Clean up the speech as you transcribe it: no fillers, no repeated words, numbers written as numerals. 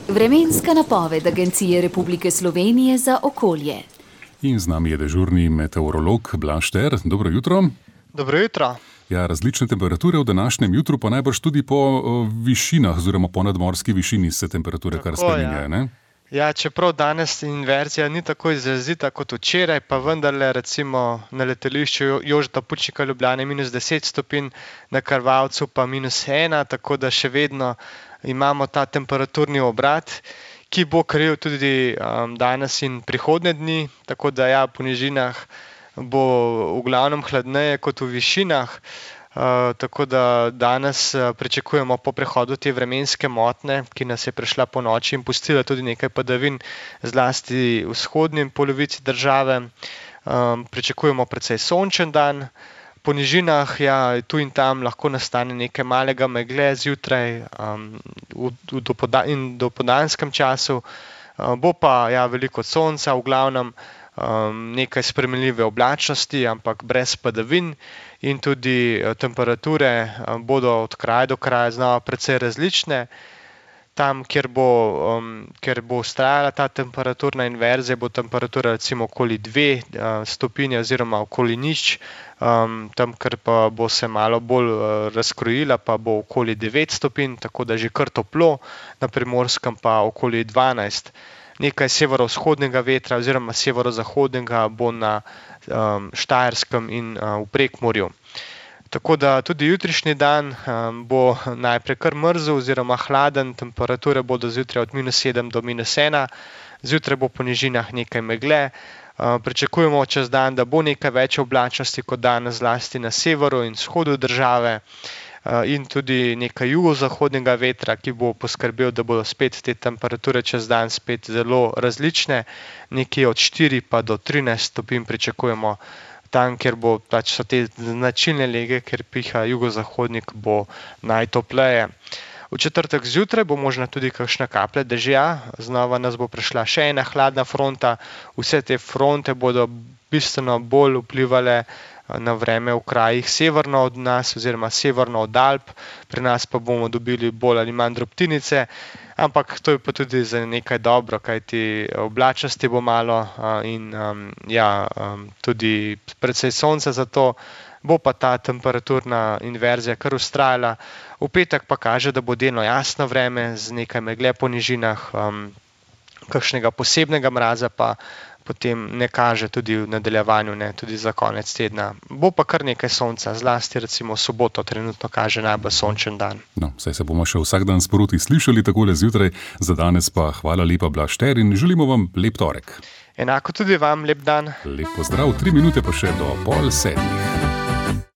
Vremenska napoved Agencije Republike Slovenije za okolje. In z nami je dežurni meteorolog Blaž Ter. Dobro jutro. Dobro jutro. Ja, različne temperature v današnjem jutru, pa najbrž tudi po višinah oziroma po nadmorski višini se temperature kar spreminjajo, ne? Ja, čeprav danes inverzija ni tako izrazita kot včeraj, pa vendarle recimo na letališču Jožeta Pučnika Ljubljane -10 stopinj, na Krvavcu pa -1, tako da še vedno imamo ta temperaturni obrat, ki bo kril tudi danes in prihodnje dni, tako da ja, po nižinah bo v glavnem hladneje kot v višinah. Tako da danes pričakujemo po prehodu te vremenske motnje, ki nas je prišla po noči in pustila tudi nekaj padavin, zlasti v vzhodni polovici države. Pričakujemo precej sončen dan. Po nižinah ja, tu in tam lahko nastane nekaj malega megle zjutraj in dopoldanskem času. Bo pa ja, veliko sonca, v glavnem nekaj spremenljive oblačnosti, ampak brez padavin, in tudi temperature bodo od kraja do kraja znova precej različne. Tam, kjer bo vztrajala ta temperaturna inverzija, bo temperatura recimo okoli 2 stopinje oziroma okoli 0, tam, kjer pa bo se malo bolj razkrojila, pa bo okoli 9 stopinj, tako da že kar toplo, na Primorskem pa okoli 12. Nekaj severovzhodnega vetra oziroma severozahodnega bo na Štajerskem in v Prekmurju. Tako da tudi jutrišnji dan bo najprej kar mrzel oziroma hladen, temperature bodo zjutraj od -7 do -1, zjutraj bo po nižinah nekaj megle. Pričakujemo čez dan, da bo nekaj več oblačnosti kot danes, zlasti na severu in vzhodu države, in tudi nekaj jugozahodnega vetra, ki bo poskrbel, da bodo spet te temperature čez dan spet zelo različne, nekje od 4 pa do 13 stopinj pričakujemo. Tam, kjer so te značilne lege, ker piha jugozahodnik, bo najtopleje. V četrtek zjutraj bo možna tudi kakšna kaplja dežja, znova nas bo prišla še ena hladna fronta. Vse te fronte bodo bistveno bolj vplivale na vreme v krajih severno od nas oziroma severno od Alp, pri nas pa bomo dobili bolj ali manj drobtinice, ampak to je pa tudi za nekaj dobro, kajti oblačnosti bo malo in tudi precej sonca, zato bo pa ta temperaturna inverzija kar vztrajala. V petek pa kaže, da bo delno jasno vreme z nekaj megle po nižinah, kakšnega posebnega mraza pa potem ne kaže tudi v nadaljevanju, ne tudi za konec tedna. Bo pa kar nekaj sonca, zlasti recimo soboto trenutno kaže najbolj sončen dan. No, saj se bomo še vsak dan sproti slišali takole zjutraj, za danes pa hvala lepa Blaž Ter in želimo vam lep torek. Enako tudi vam, lep dan. Lep pozdrav, 3 minute pa še do 6:30.